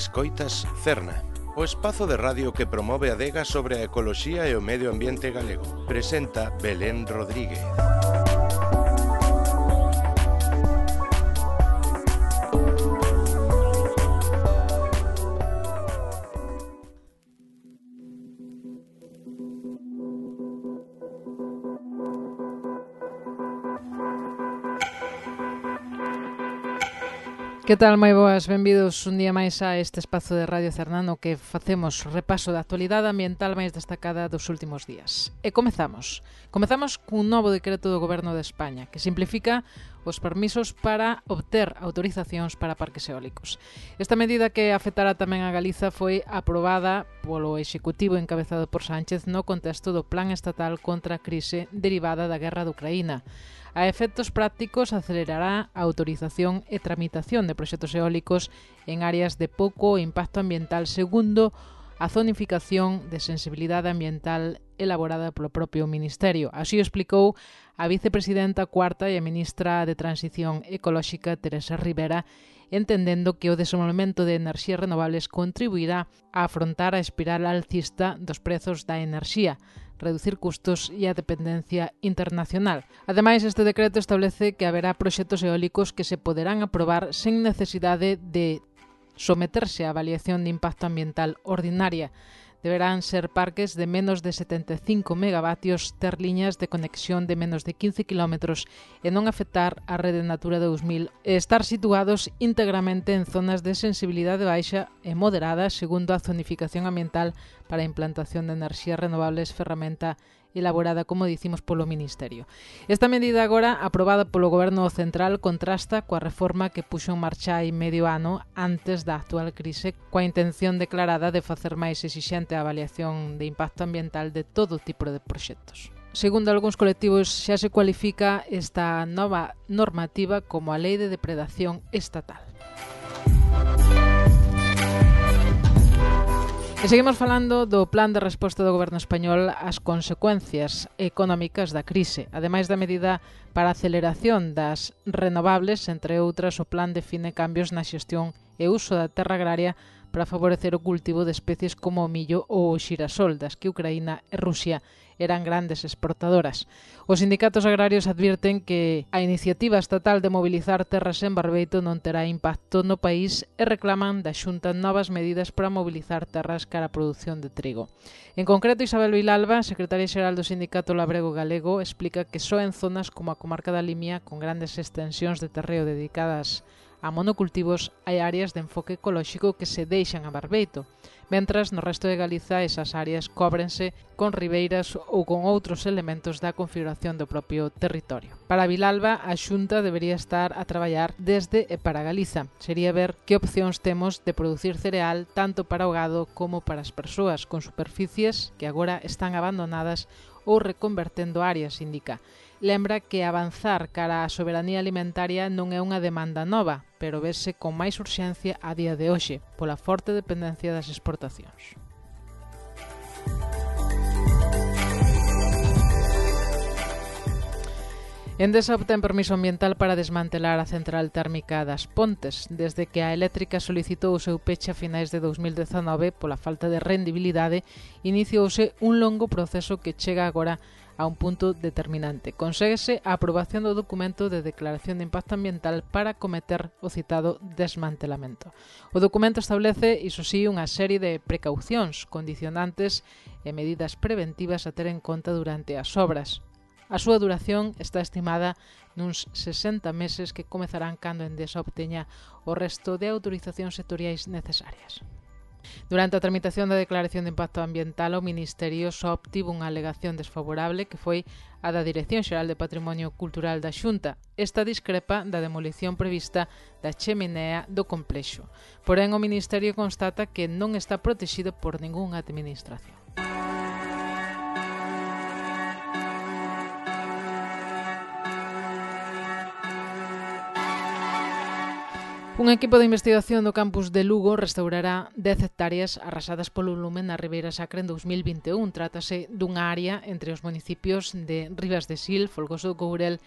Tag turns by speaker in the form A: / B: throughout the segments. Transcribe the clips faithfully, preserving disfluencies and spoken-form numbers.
A: Escoitas Cerna, o espazo de radio que promove a adega sobre a ecoloxía e o medio ambiente galego. Presenta Belén Rodríguez.
B: Que tal, moi boas? Benvidos un día máis a este espazo de Radio Cerna no que facemos repaso da actualidade ambiental máis destacada dos últimos días. E comezamos. Comezamos cun novo decreto do Goberno de España que simplifica os permisos para obter autorizacións para parques eólicos. Esta medida que afectará tamén a Galiza foi aprobada polo Executivo encabezado por Sánchez no contexto do Plan Estatal contra a crise derivada da guerra de Ucraína. A efectos prácticos acelerará a autorización e tramitación de proxectos eólicos en áreas de pouco impacto ambiental segundo a zonificación de sensibilidade ambiental elaborada polo propio Ministerio. Así o explicou a vicepresidenta cuarta e a ministra de Transición Ecolóxica, Teresa Rivera, entendendo que o desenvolvemento de enerxías renovables contribuirá a afrontar a espiral alcista dos prezos da enerxía, reducir custos e a dependencia internacional. Ademais, este decreto establece que haberá proxectos eólicos que se poderán aprobar sen necesidade de someterse á avaliación de impacto ambiental ordinaria. Deberán ser parques de menos de setenta e cinco megavatios, ter liñas de conexión de menos de quince kilómetros e non afectar a rede Natura dous mil e estar situados íntegramente en zonas de sensibilidade baixa e moderada segundo a zonificación ambiental para a implantación de enerxías renovables, ferramenta elaborada, como dicimos, polo Ministerio. Esta medida agora, aprobada polo Goberno Central, contrasta coa reforma que puxo en marcha hai medio ano antes da actual crise, coa intención declarada de facer máis exixente a avaliación de impacto ambiental de todo tipo de proxectos. Segundo algúns colectivos, xa se cualifica esta nova normativa como a Lei de Depredación Estatal. E seguimos falando do plan de resposta do Goberno español ás consecuencias económicas da crise. Ademais da medida para a aceleración das renovables, entre outras, o plan define cambios na xestión e uso da terra agraria para favorecer o cultivo de especies como o millo ou o xirasol, das que Ucraína e Rusia eran grandes exportadoras. Os sindicatos agrarios advirten que a iniciativa estatal de mobilizar terras en Barbeito non terá impacto no país e reclaman da Xunta novas medidas para mobilizar terras cara a produción de trigo. En concreto, Isabel Vilalba, secretaria xeral do Sindicato Labrego Galego, explica que só en zonas como a comarca da Limia, con grandes extensións de terreo dedicadas a monocultivos, hai áreas de enfoque ecolóxico que se deixan a Barbeito, mentras no resto de Galiza esas áreas cóbrense con ribeiras ou con outros elementos da configuración do propio territorio. Para Vilalba, a Xunta debería estar a traballar desde e para Galiza. Sería ver que opcións temos de producir cereal tanto para o gado como para as persoas, con superficies que agora están abandonadas ou reconvertendo áreas, indica. Lembra que avanzar cara á soberanía alimentaria non é unha demanda nova, pero vese con máis urxencia a día de hoxe, pola forte dependencia das exportacións. Endesa obtén permiso ambiental para desmantelar a central térmica das Pontes, desde que a eléctrica solicitou o seu peche a finais de dous mil dezanove pola falta de rendibilidade, iniciouse un longo proceso que chega agora a un punto determinante. Conséguese a aprobación do documento de declaración de impacto ambiental para cometer o citado desmantelamento. O documento establece, iso sí, unha serie de precaucións, condicionantes e medidas preventivas a ter en conta durante as obras. A súa duración está estimada nuns sesenta meses que comezarán cando Endesa obteña o resto de autorizacións sectoriais necesarias. Durante a tramitación da declaración de impacto ambiental, o Ministerio só obtivo unha alegación desfavorable que foi a da Dirección Xeral de Patrimonio Cultural da Xunta. Esta discrepa da demolición prevista da cheminea do complexo. Porén, o Ministerio constata que non está protexido por ningunha administración. Un equipo de investigación do campus de Lugo restaurará dez hectáreas arrasadas polo lume na Ribeira Sacra en dous mil vinte e un. Trátase dunha área entre os municipios de Ribas de Sil, Folgoso do Courel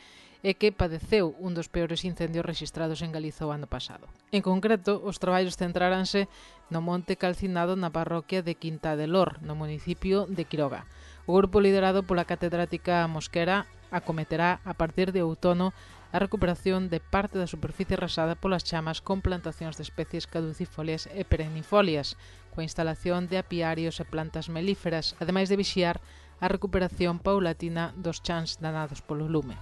B: e que padeceu un dos peores incendios rexistrados en Galiza o ano pasado. En concreto, os traballos centráranse no monte calcinado na parroquia de Quinta de Lor, no municipio de Quiroga. O grupo liderado pola catedrática Mosquera acometerá a partir de outono a recuperación de parte da superficie arrasada polas chamas con plantacións de especies caducifolias e perennifolias, coa instalación de apiarios e plantas melíferas, ademais de vixiar a recuperación paulatina dos chans danados polo lume.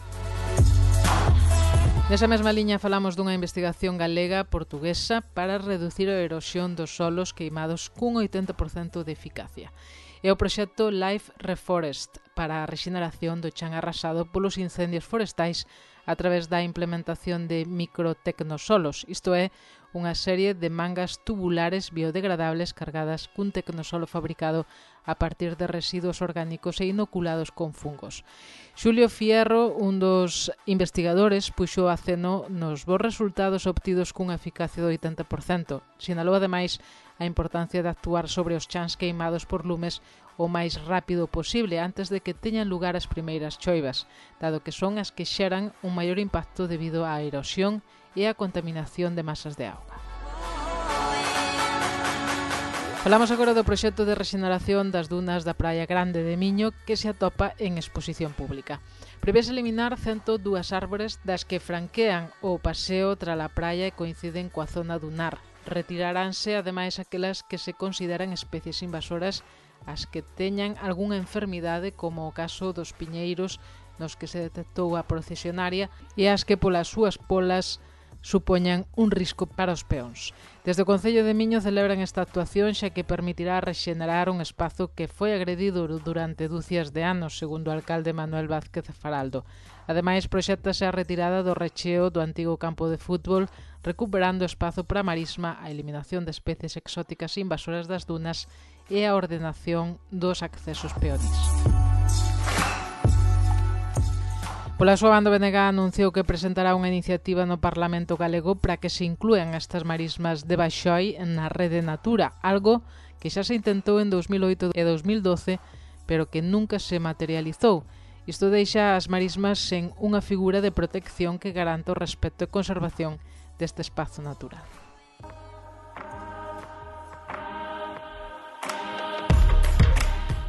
B: Nesa mesma liña falamos dunha investigación galega-portuguesa para reducir a erosión dos solos queimados cun oitenta por cento de eficacia. É o proxecto Life Reforest para a rexeneración do chan arrasado polos incendios forestais a través da implementación de microtecnosolos, isto é, unha serie de mangas tubulares biodegradables cargadas cun tecnosolo fabricado a partir de residuos orgánicos e inoculados con fungos. Xulio Fierro, un dos investigadores, puxo aceno nos bons resultados obtidos cunha eficacia do oitenta por cento. Sinalou ademais a importancia de actuar sobre os chans queimados por lumes o máis rápido posible antes de que teñan lugar as primeiras choivas, dado que son as que xeran un maior impacto debido á erosión e á contaminación de masas de auga. Falamos agora do proxecto de rexeneración das dunas da Praia Grande de Miño que se atopa en exposición pública. Prevese eliminar cento e dúas árbores das que franquean o paseo tra a praia e coinciden coa zona dunar. Retiraránse ademais aquelas que se consideran especies invasoras, as que teñan algunha enfermidade como o caso dos piñeiros nos que se detectou a procesionaria e as que polas súas polas supoñan un risco para os peóns. Desde o Concello de Miño celebran esta actuación xa que permitirá rexenerar un espazo que foi agredido durante dúcias de anos, segundo o alcalde Manuel Vázquez Faraldo. Ademais, proxéctase a retirada do recheo do antigo campo de fútbol, recuperando espazo para a marisma, a eliminación de especies exóticas invasoras das dunas e a ordenación dos accesos peóns. Pola súa banda, o B N G anunciou que presentará unha iniciativa no Parlamento galego para que se inclúan estas marismas de Baixoi na Rede Natura, algo que xa se intentou en dous mil oito e dous mil doce, pero que nunca se materializou. Isto deixa as marismas sen unha figura de protección que garanta o respecto e conservación deste espazo natural.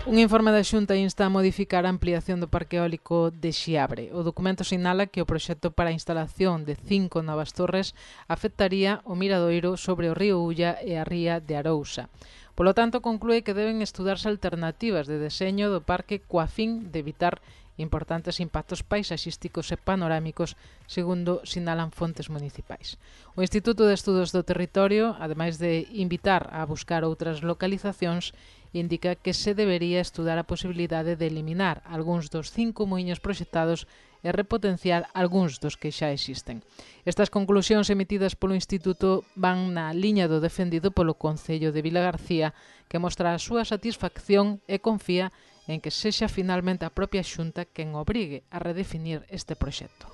B: Un informe da Xunta insta a modificar a ampliación do parque eólico de Xiabre. O documento sinala que o proxecto para a instalación de cinco novas torres afectaría o miradoiro sobre o río Ulla e a ría de Arousa. Polo tanto, conclúe que deben estudarse alternativas de deseño do parque coa fin de evitar importantes impactos paisaxísticos e panorámicos, segundo sinalan fontes municipais. O Instituto de Estudos do Territorio, ademais de invitar a buscar outras localizacións, indica que se debería estudar a posibilidade de eliminar algúns dos cinco muiños proxectados e repotenciar algúns dos que xa existen. Estas conclusións emitidas polo Instituto van na liña do defendido polo Concello de Vilagarcía, que mostra a súa satisfacción e confía en que sexa finalmente a propia Xunta quen obrigue a redefinir este proxecto.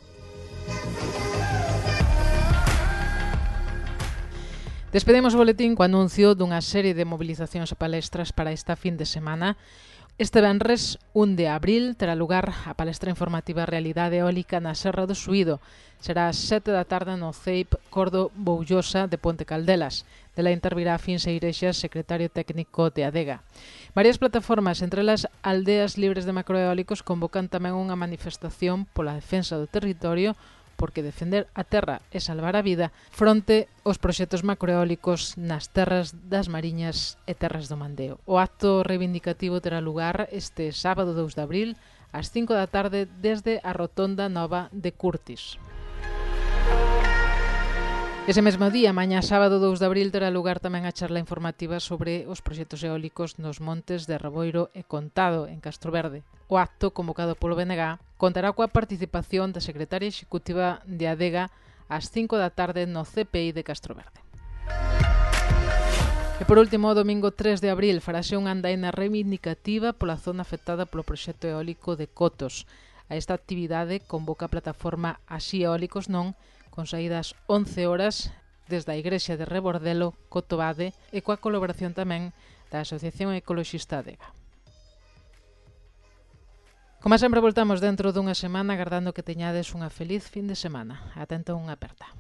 B: Despedimos o boletín co anuncio dunha serie de mobilizacións e palestras para esta fin de semana. Este venres, un de abril, terá lugar a palestra informativa Realidade Eólica na Serra do Suído. Será ás sete da tarde no C E I P Cordo Boullosa de Ponte Caldelas. Dela intervirá Fins Eirexas, secretario técnico de Adega. Varias plataformas, entre elas Aldeas Libres de Macroeólicos, convocan tamén unha manifestación pola defensa do territorio, porque defender a terra é salvar a vida, fronte aos proxectos macroeólicos nas terras das Mariñas e terras do Mandeo. O acto reivindicativo terá lugar este sábado dous de abril ás cinco da tarde desde a Rotonda Nova de Curtis. Ese mesmo día, mañá sábado dous de abril, terá lugar tamén a charla informativa sobre os proxectos eólicos nos montes de Reboiro e Contado, en Castroverde. O acto, convocado polo B N G, contará coa participación da secretaria executiva de Adega ás cinco da tarde no C P I de Castroverde. E por último, o domingo tres de abril, farase unha andaina reivindicativa pola zona afectada polo proxecto eólico de Cotos. A esta actividade convoca a plataforma Así Eólicos Non, con saídas once horas desde a Igrexa de Rebordelo, Cotobade, e coa colaboración tamén da Asociación Ecoloxista Adega. Como sempre, voltamos dentro dunha semana agardando que teñades unha feliz fin de semana. Ata entón, unha aperta.